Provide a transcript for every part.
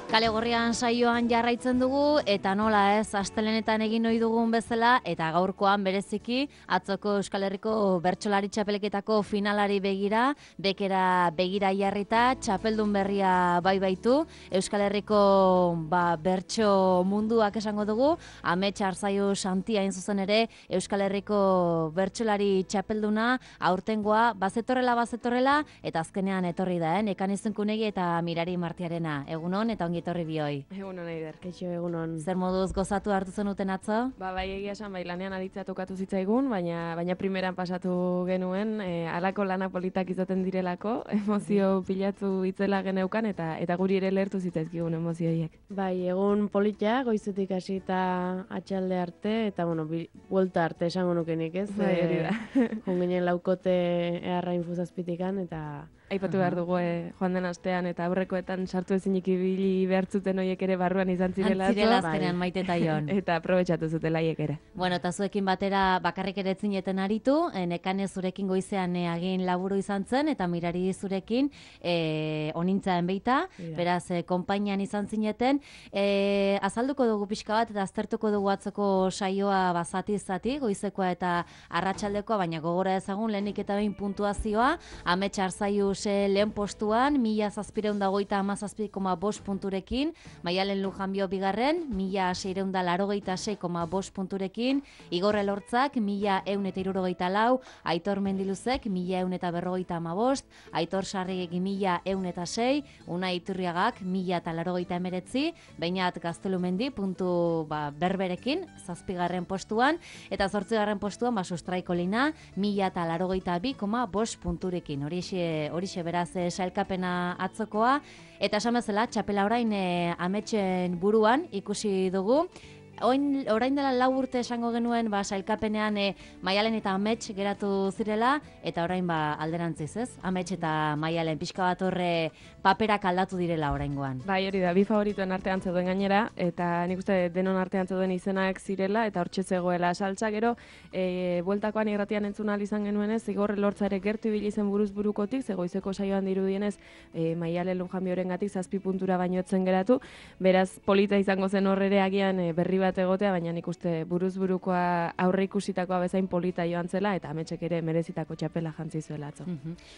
Kale Gorrian saioan jarraitzen dugu eta nola ez, astelenetan egin ohi dugun bezala eta gaurkoan bereziki atzoko Euskal Herriko bertsolari txapelketako finalari begira, bekera begira jarrita, txapeldun berria baitu, Euskal Herriko bertso munduak esango dugu, Amets Arzaiu Santia hain zuzen ere Euskal Herriko bertsolari txapelduna aurtengoa bazetorrela eta azkenean etorri da, Nekan Izunkunegi eta Mirari Martiarena. Egunon eta ongi etorri bioi. Egunon, Eider. Kaixo, egunon. Zer moduz gozatu hartu zenuten atzo? Bai, egia esan, lanean aditzea tokatu zitzaigun, baina primeran pasatu genuen, halako lana politak izaten direlako, emozio pilatu itzela geneukan, eta guri ere lehertu zitzaizkigun emozioiek. Bai, egun polita, goizetik hasi eta atxalde arte, eta, buelta arte esango nukenik, ez? Bai, hori da. Junginen laukote eharra infuzazpitikan, eta... Aipatu behar dugu joan den astean eta aurrekoetan sartu ezinik ibili behartzuten horiek ere barruan izan zirela. Antzirela azkenean Maite eta Jon. Eta aprobetxatu zutela haiek ere. Bueno, eta zuekin batera bakarrik ere etzineten aritu, Nekane zurekin goizean agin laburu izan zen, eta Mirari zurekin onintzaen beita, beraz, konpainian izan zineten. Azalduko dugu pixka bat eta aztertuko dugu atzoko saioa zati, goizekoa eta arratsaldekoa, baina gogora ezagun lehenik eta behin puntuazioa, Amets Arzaiu lehen postuan, 1.627,5 punturekin, Maialen Lujanbio bigarren, 1.686,5 punturekin, Igor Elortzak, 1.174, Aitor Mendiluzek, 1.155, Aitor Sarrigek, 1.106, Unai Iturriagak, 1.089, Beñat Gaztelumendi, puntu berberekin, 7. postuan, eta 8. postuan, Sustraiko Lina, 1.082,5 punturekin. Horixe beraz sailkapena atzokoa, eta esan bezala txapela orain Ametsen buruan ikusi dugu. Orain dela 4 urte esango genuen sailkapenean Maialen eta Amets geratu zirela, eta orain alderantziz, ez? Amets eta Maialen pixka bat horre paperak aldatu direla oraingoan. Bai, hori da, bi favorituen artean zeuden gainera, eta nik uste denon artean zeuden izenak zirela, eta hortxe zegoela saltza, gero, bueltakoan irratian entzun ahal izan genuenez, Igor Elortza ere gertu ibili zen buruz burukotik, zegoizeko saioan dirudienez, Maialen Lujanbiorengatik 7 puntura baino etzen geratu, beraz polita izango zen horrere agian berri bat egotea, baina nik uste buruz burukoa aurre ikusitakoa bezain polita joan zela, eta Ametsek ere merezitako txapela jantzi zuela atzo.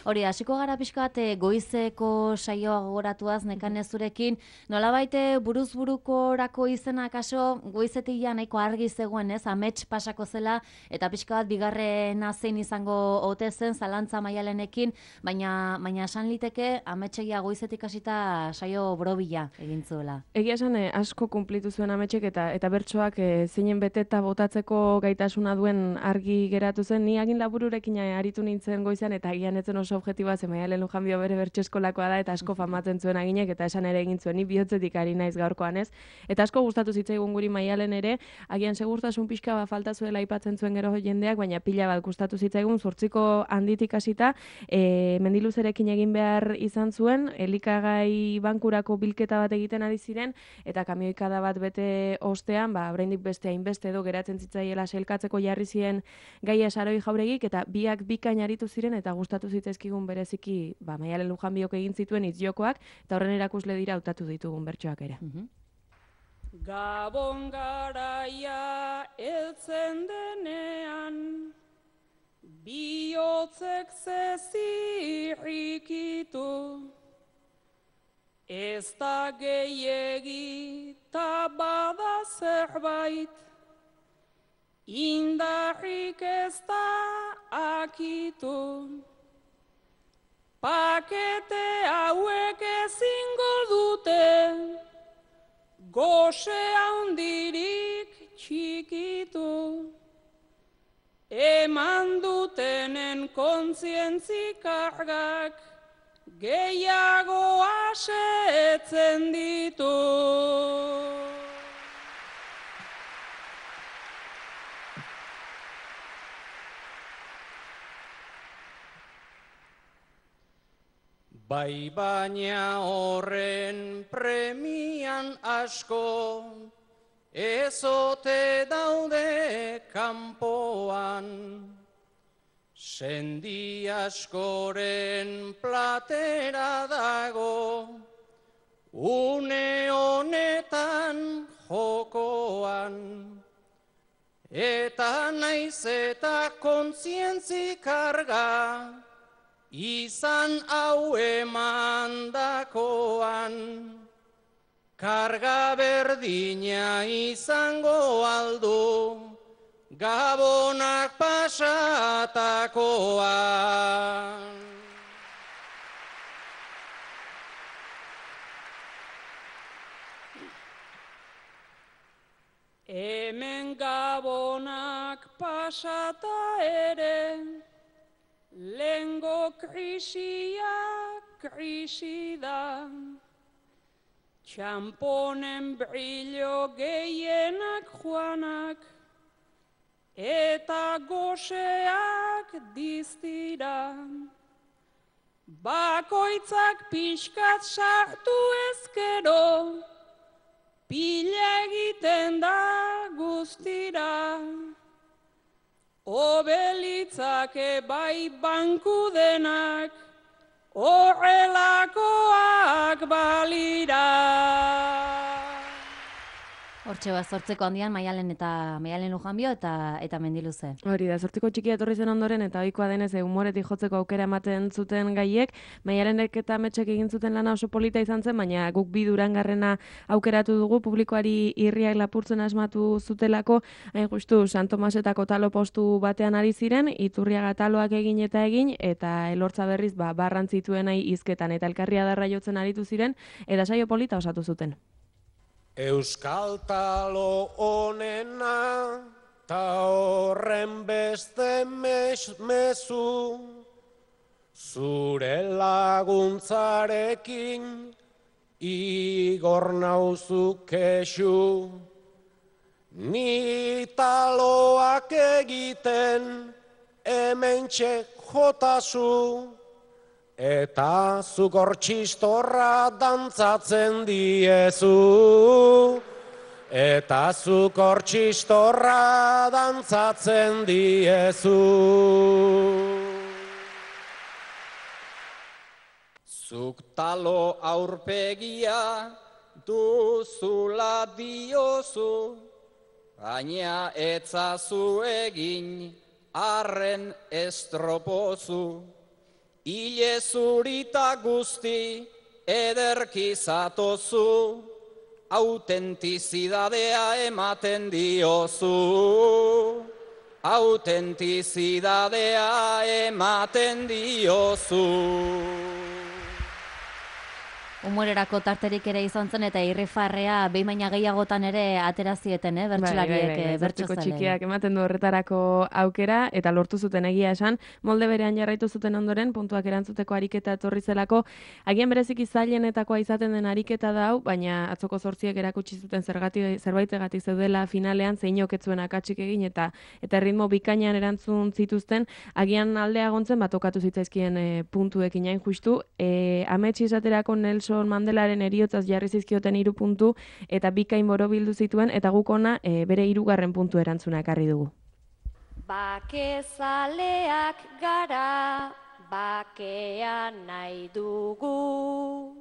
Hori, hasiko gara pixka bat goizeko saioa gogoratuaz Nekane zurekin, nolabait buruz burukorako izenak aso goizetik ja nahiko argi zegoen, ez? Amets pasako zela, eta pixka bat bigarrena zein izango ote zen zalantza Maialenekin, baina esan liteke Ametsegia goizetik hasita saio borobila egin zuela. Egia esan asko kunplitu zuen Ametsek eta bertsoak zeinen beteta botatzeko gaitasuna duen argi geratu zen. Ni agin labururekin aritu nintzen goizean, eta agian etzen oso objektiboa, ze Maialen Lujanbio bere bertso eskolakoa da, eta asko famatzen zuen aginek, eta esan ere egin zuen, ni bihotzetik ari naiz gaurkoan, ez? Eta asko gustatu zitzaigun guri Maialen ere, agian segurtasun pixka falta zuela aipatzen zuen gero jendeak, baina pila bat gustatu zitzaigun, 8 handitik hasita, Mendiluzerekin egin behar izan zuen, elikagai bankurako bilketa bat egiten ari ziren, eta kamioikada bat bete ostean, oraindik beste hainbeste edo geratzen zitzaiela sailkatzeko jarri ziren Gaia Saroi Jauregik, eta biak bikain aritu ziren, eta gustatu zitzaizkigun bereziki Maialen Lujanbiok egin zituen hitzjokoak, eta horren erakusle dira hautatu ditugun bertsoak ere. Gabon garaia heltzen denean, bihotzek zezirrikitu, ez da gehiegi ta bada zerbait, indarrik ez da akitu. Pakete hauek ezingo dute, gose handirik txikitu. Eman dutenen kontzientzi kargak, gehiago asetzen ditu. Bai baina horren premian asko, ezote daude kanpoan. Sendi askoren platera dago, une Eta naiz eta kontzientzi karga, izan hau emandakoan, karga berdina izango aldu, gabonak pasatakoan. Hemen gabonak pasata ere, lehengo krisia krisi da. Txamponen brillo gehienak joanak, eta goseak diztira. Bakoitzak pixkat sartu ezkero, pila egiten da guztira. Obelitzake bai banku denak, horrelakoak balira. Hortxe bat, zortzeko handian Maialen Lujanbio eta Mendiluze. Hori da, zortziko txikia etorri zen ondoren, eta ohikoa denez humoretik jotzeko aukera ematen zuten gaiek, Maialenek eta Ametsek egin zuten lana oso polita izan zen, baina guk bi Durangarrena aukeratu dugu, publikoari irriak lapurtzen asmatu zutelako, hain justu San Tomasetako talo postu batean ari ziren, Iturriaga taloak egin, eta Elortza berriz barrantzituen nahi hizketan, eta elkarria darra jotzen aritu ziren, eta saio polita osatu zuten. Euskal talo honena, ta horren beste mezu, zure laguntzarekin igor nauzu kexu. Ni taloak egiten hementxe jotazu, eta zuk hor txistorra dantzatzen diezu. Eta zuk hor txistorra dantzatzen diezu. Zuk talo aurpegia duzula diozu, baina etzazu egin arren estropozu. Ile zurita guzti ederki zatozu, autentizidadea ematen diozu. Autentizidadea ematen diozu. Humorerako tarterik ere izan zen eta irrifarrea behin baina gehiagotan ere aterazieten, bertsolariek, bertso txikiak ematen du horretarako aukera eta lortu zuten egia esan, molde berean jarraitu zuten ondoren, puntuak erantzuteko ariketa etorri zelako, agian bereziki zailenetakoa izaten den ariketa da hau, baina atzoko zortziek erakutsi zuten zerbaitegatik zeudela finalean, zeinok ez zuen akatsik egin eta ritmo bikainan erantzun zituzten, agian aldea gontzen batokatu zitzaizkien puntuekin hain justu, Ametsi esaterako Nelson Mandelaren heriotzaz jarri zizkioten 3 puntu eta bikain borobildu zituen eta guk ona bere 3. puntu erantzuna ekarri dugu. Bakezaleak gara, bakea nahi dugu.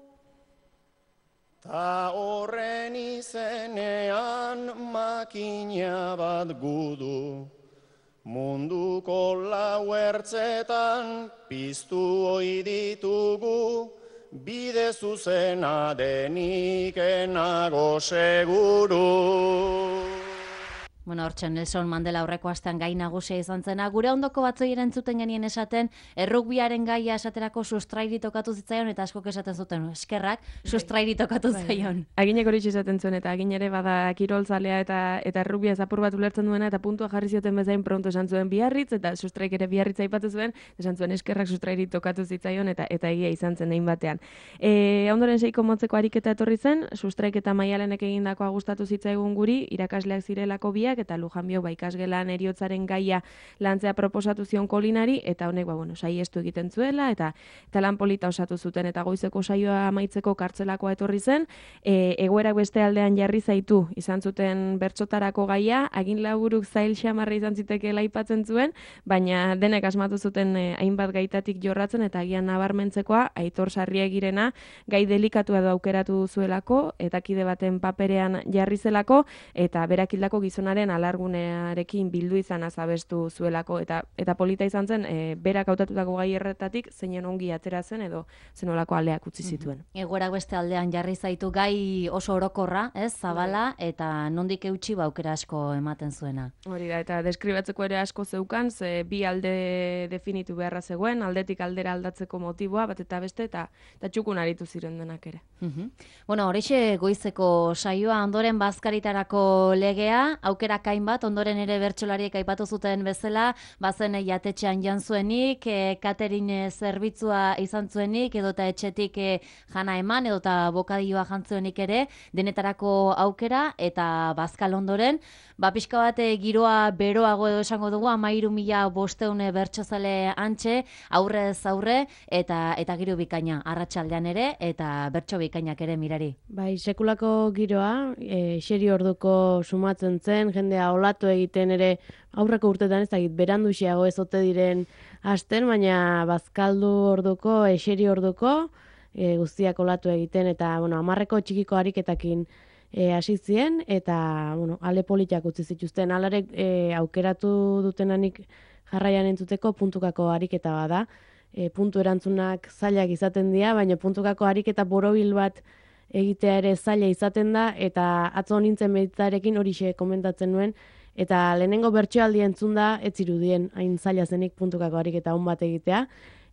Ta horren izenean makina bat gudu, munduko lau ertzetan piztu ohi ditugu, bide zuzena denik enago seguru. Bueno, hortxe, Nelson Mandela aurreko astean gai nagusia izan zena. Gure ondoko batzoi erantzuten genien esaten, errugbiaren gaia esaterako sustrairi tokatu zitzaion, eta askok esaten zuten, eskerrak, sustrairi tokatu zaion. Aginek hori esaten zuen, eta agin ere bada kirolzalea eta errugbia zapur bat ulertzen duena, eta puntua jarri zioten bezain pronto esan zuen Biarritz, eta sustraik ere Biarritz aipatu zuen, esan zuen eskerrak sustrairi tokatu zitzaion, eta egia izan zen egin batean. Ondoren seiko motzeko ariketa etorri zen, sustraik eta Maialenek egindakoa gustatu zitzaigun guri, irakasleak zirelako biak, berriak, eta Lujanbiok ikasgelan heriotzaren gaia lantzea proposatu zion Kolinari, eta honek saiestu egiten zuela, eta lan polita osatu zuten, eta goizeko saioa amaitzeko kartzelakoa etorri zen, egoerak beste aldean jarri zaitu izan zuten bertsotarako gaia, agin laburuk zail xamarra izan zitekeela aipatzen zuen, baina denek asmatu zuten hainbat gaitatik jorratzen, eta agian nabarmentzekoa Aitor Sarriegirena gai delikatua edo aukeratu zuelako, eta kide baten paperean jarri zelako, eta berak hildako gizonaren alargunearekin bildu izan azabestu zuelako, eta polita izan zen, berak hautatutako gai erretatik zeinen ongi atera zen edo zenolako aldeak utzi zituen. Egoerak beste aldean jarri zaitu gai oso orokorra, ez, zabala, eta nondik eutxi aukera asko ematen zuena. Hori da, eta deskribatzeko ere asko zeukan, ze bi alde definitu beharra zegoen, aldetik aldera aldatzeko motiboa, bat eta beste, eta txukun aritu ziren denak ere. Bueno, horixe goizeko saioa ondoren bazkaritarako legea, aukera hainbat, ondoren ere bertsolariek aipatu zuten bezala, bazen jatetxean jan zuenik, catering zerbitzua izan zuenik, edota etxetik jana eman, edota bokadioa jantzuenik ere, denetarako aukera, eta bazkal ondoren, pixka bat giroa beroago edo esango dugu, 13.500 bertsozale antxe, aurrez aurre, eta giro bikaina, arratsaldean ere, eta bertso bikainak ere mirari. Bai, sekulako giroa, xeri orduko sumatzen zen, jendea olatu egiten ere, aurreko urtetan ez dakit, beranduxiago ez ote diren hasten, baina bazkaldu orduko, xeri orduko, guztiak olatu egiten, eta, 10 txikiko ariketakin hasi zien, eta, ale politak utzi zituzten, alarek aukeratu dutenanik jarraian entzuteko puntukako ariketa bada, puntu erantzunak zailak izaten dira, baina puntukako ariketa borobil bat egitea ere zaila izaten da, eta atzo nintzen meditarekin horixe komentatzen nuen, eta lehenengo bertsoaldi entzun da, ez zirudien hain zaila zenik puntukako ariketa on bat egitea,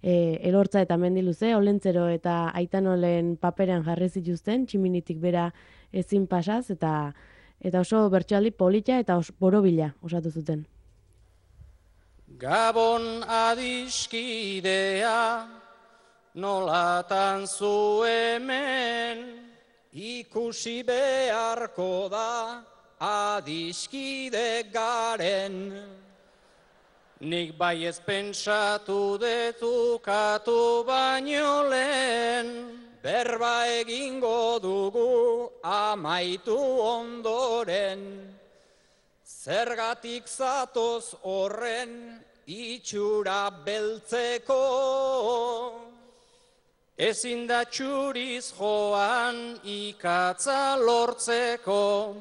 Elortza eta Mendiluze, Olentzero eta Aitanolen paperean jarri zituzten, tximinitik bera ezin pasaz, eta oso bertsoaldi polita eta borobila osatu zuten. Gabon adiskidea, nolatan zu hemen, ikusi beharko da adiskide garen. Nik bai ez pentsatu detukatu baino lehen, berba egingo dugu amaitu ondoren. Zergatik zatoz horren itxura beltzeko, ezin da txuriz joan ikatza lortzeko,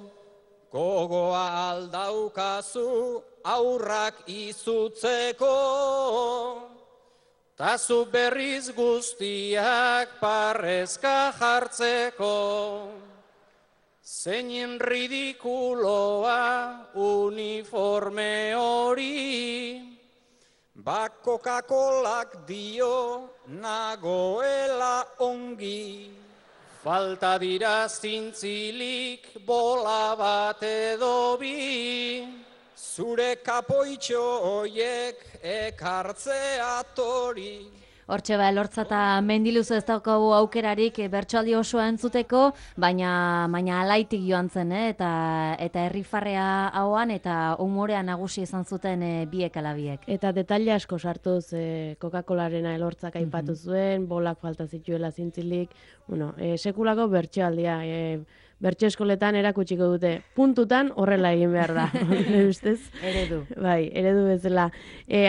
gogoa aldaukazu aurrak izutzeko, tazu berriz guztiak parrezka jartzeko. Zeinen ridikuloa uniforme hori, Coca-Colak dio nagoela ongi. Falta dira zintzilik bola bat edo bi, zure kapoitxo hoiek ekartzea tori. Hortxe Elortza eta Mendiluze ez daukagu aukerarik bertsoaldi osoa entzuteko, baina alaitik joan zen, eta herrifarrea hauan eta umorea nagusi izan zuten biek alabiek. Eta detaile asko sartuz Coca-Colarena Elortzak aipatu zuen, bolak falta zituela zintzilik, sekulako bertsoaldia, bertso eskoletan erakutsiko dute, puntutan horrela egin behar da, ustez? Eredu. Bai, eredu bezala.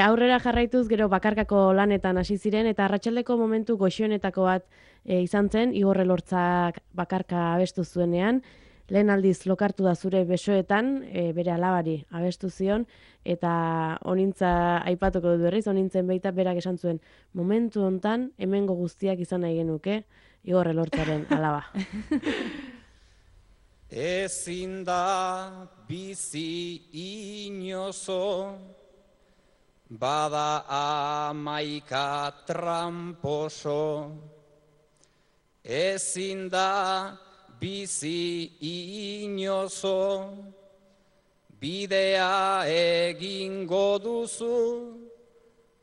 Aurrera jarraituz gero bakarkako lanetan hasi ziren, eta arratsaldeko momentu goxoenetako bat izan zen, Igor Elortzak bakarka abestu zuenean, lehen aldiz lokartu da zure besoetan, bere alabari abestu zion, eta onintza aipatuko dut berriz, onintzen beita berak esan zuen, momentu hontan hemengo guztiak izan nahi genuke, Igor Elortzaren alaba. Ezin da bizi inozo, bada 11 tramposo. Ezin da bizi inozo, bidea egingo duzu,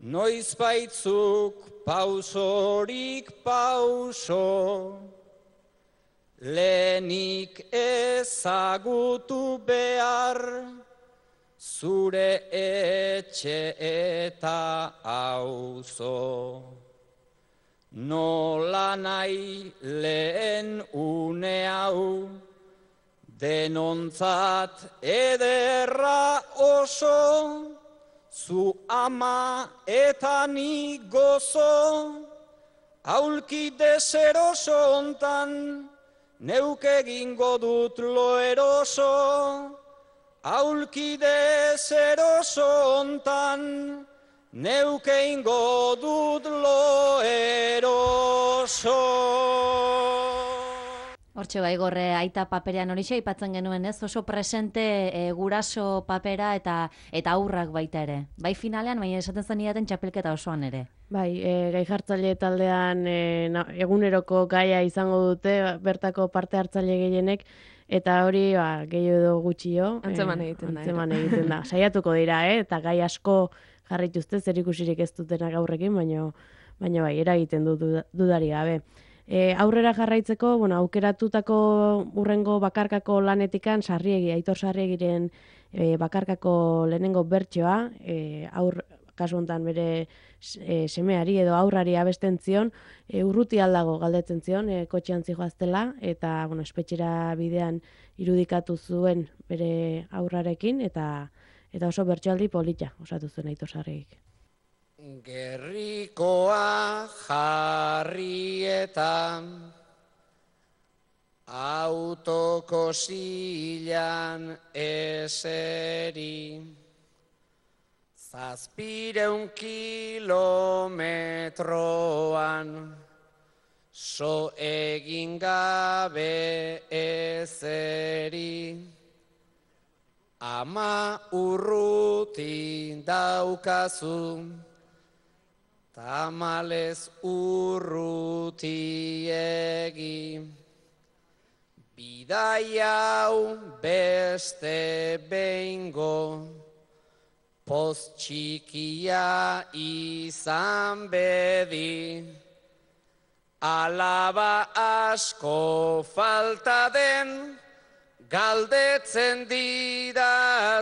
noiz baitzuk pausorik pauso. Lehenik ezagutu behar zure etxe eta auzo. Nola nahi lehen une hau, denontzat ederra oso, zu ama eta ni gozo, aulki deseroso hontan, neuk egingo dut lo eroso, aulki deseroso hontan, neuk egingo dut lo eroso. Hortxe bai gorre aita paperean horixe aipatzen genuen ez, oso presente guraso papera eta aurrak baita ere. Bai finalean, baina esaten zenidaten txapelketa osoan ere. Bai, gai jartzaile taldean eguneroko gaia izango dute bertako parte hartzaile gehienek, eta hori gehiago edo gutxio. Antzeman egiten da. Antzeman egiten da. Saiatuko dira, eta gai asko jarrituzte, zer ikusirik ez dutenak aurrekin, baina bai, eragiten du dudari gabe. Aurrera jarraitzeko, aukeratutako urrengo bakarkako lanetikan Aitor Sarriegiren bakarkako lehenengo bertsoa, kasu honetan bere semeari edo aurrari abesten zion, urruti aldago galdetzen zion, kotxean zijoaztela, eta espetxera bidean irudikatu zuen bere aurrarekin, eta oso bertsoaldi polita osatu zuen Aitor Sarriegik. Gerrikoa jarrietan, autoko zilan eseri, 700 kilometroan, so egin gabe ezeri, ama urruti daukazu, tamalez urrutiegi, bidai hau beste behingo, poz txikia izan bedi, alaba asko falta den, galdetzen didazuneri,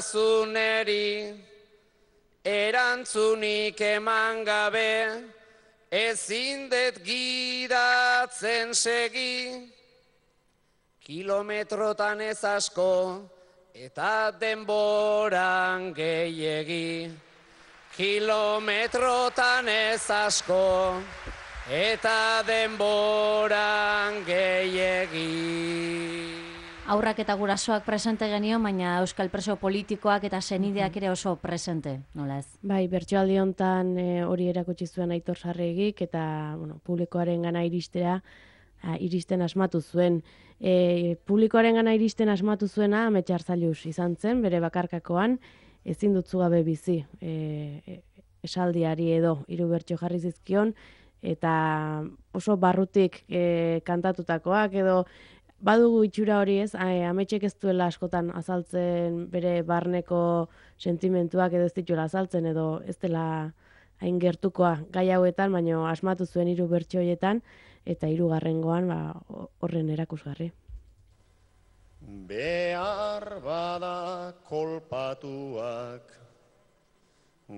erantzunik eman gabe, ezin dut gidatzen segi, kilometrotan ez asko, eta denboran gehiegi. Kilometrotan ez asko, eta denboran gehiegi. Aurrak eta gurasoak presente genio, baina euskal preso politikoak eta senideak ere oso presente, nola ez? Bai, bertsoaldi hontan hori erakutsi zuen Aitor Sarriegik, eta publikoaren gana iristen asmatu zuen. Publikoaren gana iristen asmatu zuena Amets Arzallus izan zen, bere bakarkakoan, ezin dutzu gabe bizi esaldiari edo 3 bertso jarri zizkion, eta oso barrutik kantatutakoak edo badugu itxura hori ez, Ametsek ez duela askotan azaltzen bere barneko sentimentuak edo ez dituela azaltzen edo ez dela hain gertukoa gai hauetan, baina asmatu zuen 3 bertso horietan eta 3. Horren erakusgarri. Behar bada kolpatuak,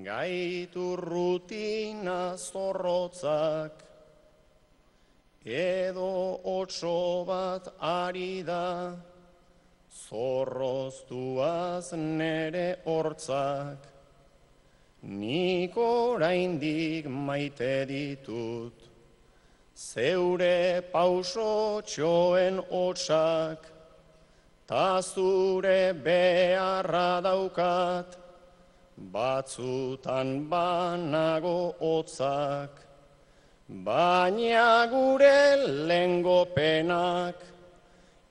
gaitu rutina zorrotzak, edo otso bat ari da, zorroztuaz nere hortzak, nik oraindik maite ditut, zeure pauso txoen hotsak, ta zure beharra daukat, batzutan banago hotzak, baina gure lengo penak,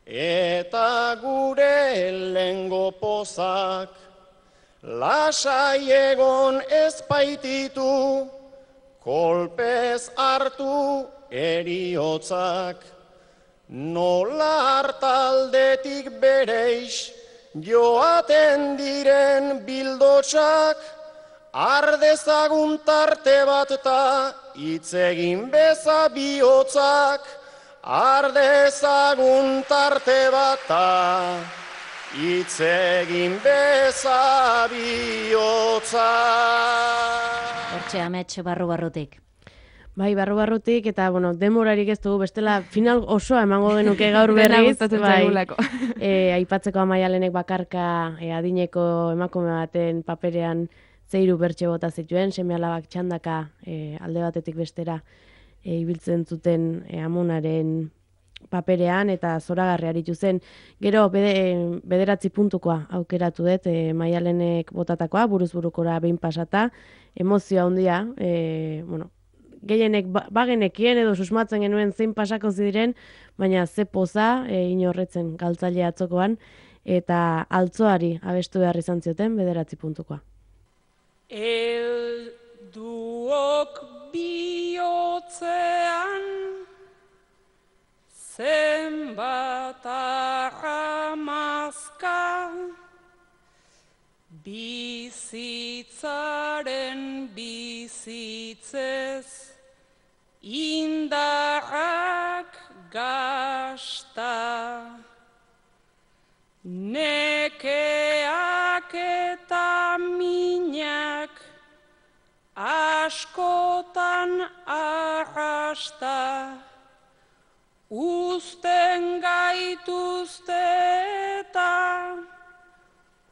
eta gure lengo pozak, lasai egon ez baititu, kolpez hartu eriotzak, nola hartaldetik bereix, joaten diren bildotsak, ardezagun tarte bat ta, itzegin beza bihotzak, ardezagun tarte bat ta, hitz egin bezabihotza. Hortxe amets barru-barrutik. Bai, barru-barrutik, eta, bueno, demorarik ez dugu, bestela final osoa emango genuke gaur Dena berriz. gustatzen bai, zaigulako. Aipatzeko Amaialenek bakarka adineko emakume baten paperean zeiru bertxe bota zituen, seme-alabak txandaka alde batetik bestera ibiltzen zuten amonaren paperean, eta zoragarri aritu zen. Gero, 9 puntukoa aukeratu dut, Maialenek botatakoa, buruz-burukora behin pasata, emozioa handia, bueno, gehienek bagenekien edo susmatzen genuen zein pasako ziren, baina ze poza inorretzen galtzaile atzokoan, eta altzoari abestu behar izan zioten 9 puntukoa. Helduok bihotzean zenbat arramazka, bizitzaren bizitzez indarrak gasta, nekeak eta minak askotan arrasta, uzten gaituzte eta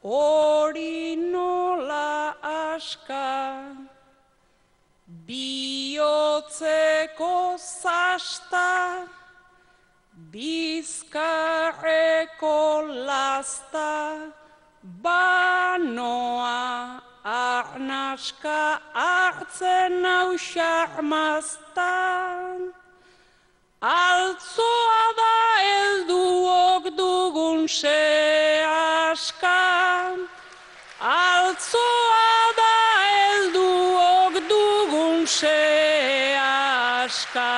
hori nola aska, bihotzeko zasta, bizkarreko lasta, banoa arnaska hartzen hau xarmaztan. Altzoa da helduok dugun sehaska, altzoa da helduok dugun sehaska.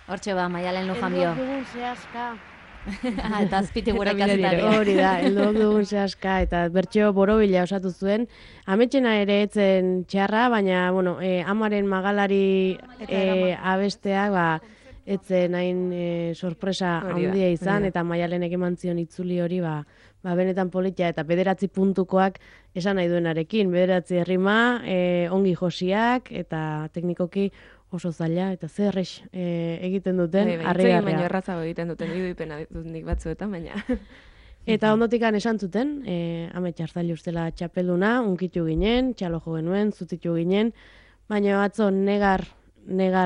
Hortxe ba, Maialen Lujanbio. Helduok dugun sehaska. Eta azpiti gure kazetaria. Hori da, helduok dugun sehaska, eta bertxeo borobila osatu zuen. Ametxena ere etzen txarra, baina, bueno, amaren magalari abesteak, ba, etzen hain sorpresa handia izan, eta Maialenek eman zion itzuli hori, ba, benetan politia, eta 9 puntukoak esan nahi duenarekin. 9 errima, ongi josiak, eta teknikoki oso zaila, eta zerrex egiten duten, harrigarria. Baina errazago egiten duten, irudipena ditut nik batzuetan, baina... Eta ondotikan esan zuten, Amets Arzailu ustela txapelduna, unkitu ginen, txalo jo genuen, zutitu ginen, baina atzo negar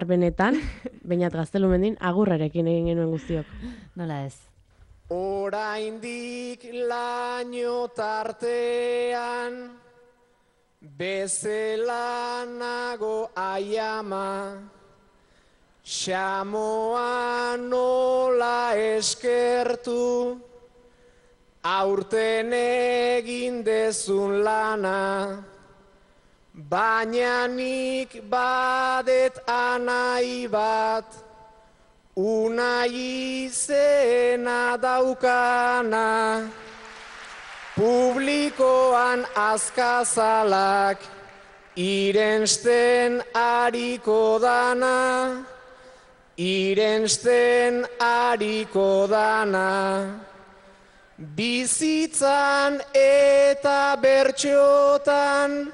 benetan, bainat Gaztelumendin, agurrarekin egin genuen guztiok. Nola ez? Oraindik laino tartean, bezela nago aiama, xamoa nola eskertu, aurten egin dezun lana, baina nik badet anai bat, unai izena daukana, publikoan azkazalak irensten ariko dana, irensten ariko dana. Bizitzan eta bertxotan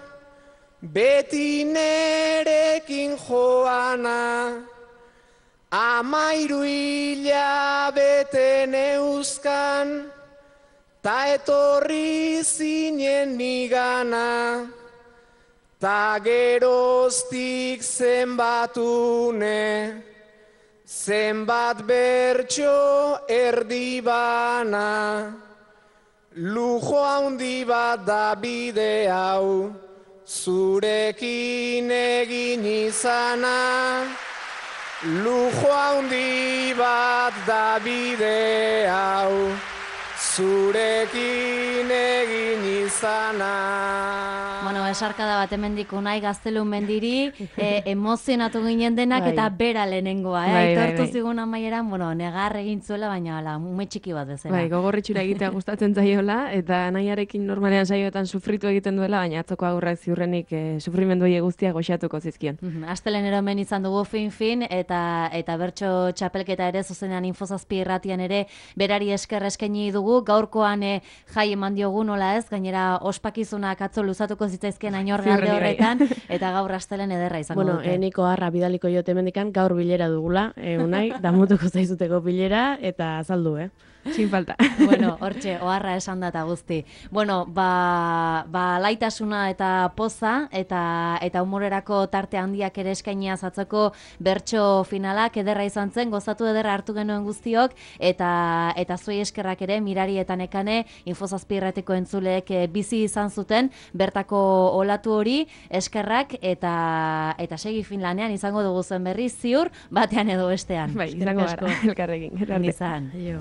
beti nerekin joana, 13 hilabete neuzkan, ta etorri zinen nigana, ta geroztik zenbatune, zenbat bertxo erdi bana, lujo handi bat da bide hau, zurekin egin izana, lujo handi bat da bide hau, zurekin egin izana. Bueno, esarkada bat hemendik Unai Gaztelu mendiri, emozionatu ginen denak Bai. eta bera lehenengoa, Bai, aitortu bai. zigun amaieran, bueno, negar egin zuela, baina ala, ume txiki bat bezala. Bai, gogorritxura egitea gustatzen zaiola, eta nahiarekin normalean saioetan sufritu egiten duela, baina atzoko agurrak ziurrenik sufrimendu horiek guztiak goxatuko zizkion. Astelenero hemen izan dugu fin, eta bertso txapelketa ere zuzenean Infozazpi irratian ere berari esker eskaini dugu, gaurkoan jai eman diogu nola ez, gainera ospakizunak atzo luzatuko zitzaizkien ainorgalde Ziurrenik bai. horretan, eta gaur astelen ederra izango Bueno, dute. niko harra bidaliko jote mendikan gaur bilera dugula, Unai, damutuko zaizuteko bilera, eta azaldu, Sin falta. Bueno, hortxe, oharra esan da eta guzti. Bueno, ba laitasuna eta poza eta humorerako tarte handiak ere eskainia zatzeko bertso finalak ederra izan zen, gozatu ederra hartu genuen guztiok eta zuei eskerrak ere Mirari eta Nekane Infozazpi irratiko entzuleek bizi izan zuten bertako olatu hori eskerrak eta segi finlanean izango dugu zen berri ziur batean edo bestean. Bai, izango gara, elkarrekin. Izan. Jo.